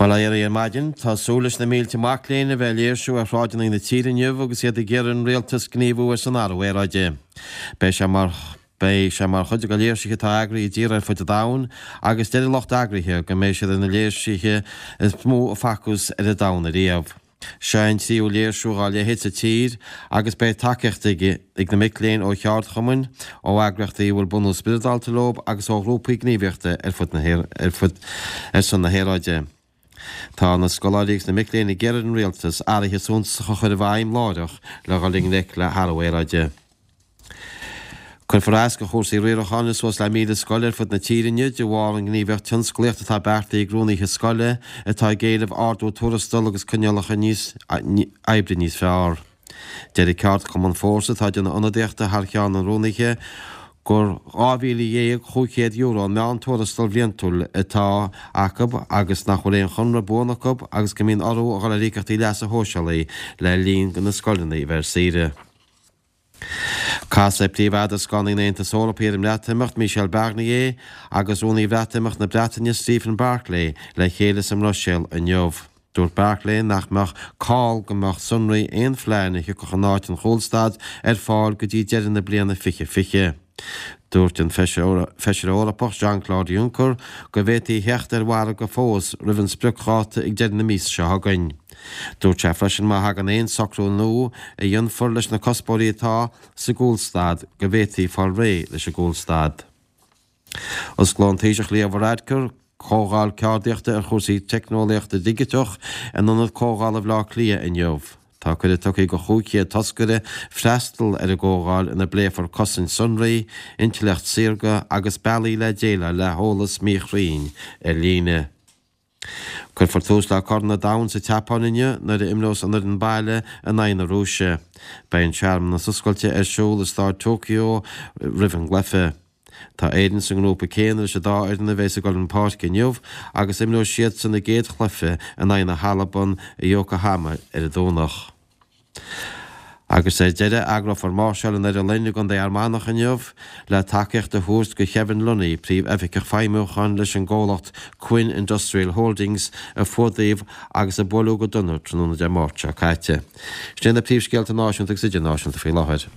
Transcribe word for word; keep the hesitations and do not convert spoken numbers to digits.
Bail ó Dhia oraibh ar maidin. Tá súil leis na mílte mac léinn a bheith ag léirsiú ar shráideanna na tíre inniu agus iad ag iarraidh ar an rialtas gníomhú ar son athrú aeráide. Beidh sé mar Beidh sé mar chuid de léirsithe atá eagraithe i dtíortha ar fud an domhain agus deir an lucht eagraithe go mbeidh siad ar na léirsithe is mó a facthas ar an domhan ariamh. Seo é an tríú léirsiú dá leithéid sa tír agus beidh tacaíocht ag na mic léinn ó cheardchumainn, ó eagraíochtaí a bhfuil bunús spioradálta leo agus ó ghrúpaí gníomhaíochta ar fud na ar fud ar son na haeráide. Tá na scoláirí agus na mic léinn ag iarraidh ar an rialtas athruithe suntasacha a chur i bhfeidhm láithreach le dhul i ngleic le hathrú aeráide. Cuirfear as do chúrsaí riaracháin i suas le míle scoil ar fud na tíre inniu de bharr an ghníomhaíocht tionsclaíocht atá beartaithe ag rúnaithe scoile atá ag éileamh ardú tuarastail agus coinníollacha níos oibre níos fearr. Deir an ceardchumann Fórsa atá ag déanamh ionadaíochta thar cheann na rúnaithe gur dhá mhíle dhéag chúig chéad euro an meán tuarastal bhliantúil atá acu agus nach bhfuil aon chonradh buan acu agus go mbíonn orthu a dhul ar íocaíochtaí leasa shóisialaigh le linn do na scoileanna a bheith ar saoire. Casfaidh príomh-eadarascánaí an Aontais Eorpaigh ar an mBreatimeacht, Michel Barnier, agus Rúnaí Bhreatimeacht na Breataine, Stephen Barclay, le chéile sa mBruiséil inniu. Dúirt Barclay nach mbeadh call go mbeadh sonraí aon phlean a thiocfadh in áit an chúlstad ar fáil go dtí deireadh na bliana fiche fiche. Dúirt an Feisire Eorpach Jean-Claude Juncker go bhféadfaí a theacht ar mhargadh fós roimh an spriocdháta ag deireadh na míosa seo chugainn. Dúirt sé freisin má thagann aon socrú nua a dhéanfar leis na cuspóirí atá sa gcúlstad go bhféadfaí fáil réidh leis an gcúlstad. Osclóidh an Taoiseach Leo Varadkar comhdháil ceardaíochta ar chúrsaí teicneolaíochta digiteach in Ionad Comhdhála Bhaile Átha Cliath inniu. Tá cuireadh tugtha do chúig chéad toscaire freastal ar an gcomhdháil ina bpléifear cosaint sonraí, intleacht saorga agus bealaí le déileáil le heolas míchruinn ar líne. Cuirfear tús le Corn an Domhain sa tSeapáin inniu nuair a imreos an fhoireann baile in aghaidh na Rúise. Beidh an searmanas oscailte ar siúl i Staid Tokyo roimh an gcluiche. Tá Éirinn sa ngrúpa céanna leis an dá fhoireann a bheas ag dul chun páirce inniu agus imreoidh siadsan a gcéad chluiche in aghaidh na hAlban i Yokohama ar an Domhnach. Agus ar deireadh, eagrófar máirseáil i nDoire Fhloinn i gContae Fhear Manach inniu le tacaíocht a thabhairt do Kevin Lunny, Príomh-Oifigeach Feidhmiúcháin leis an gcomhlacht Quinn Industrial Holdings a fuadaíodh agus a buaileadh go dona tráthnóna Dé Máirt seo caite. Sin iad na príomhscéalta náisiúnta agus idirnáisiúnta faoi láthair.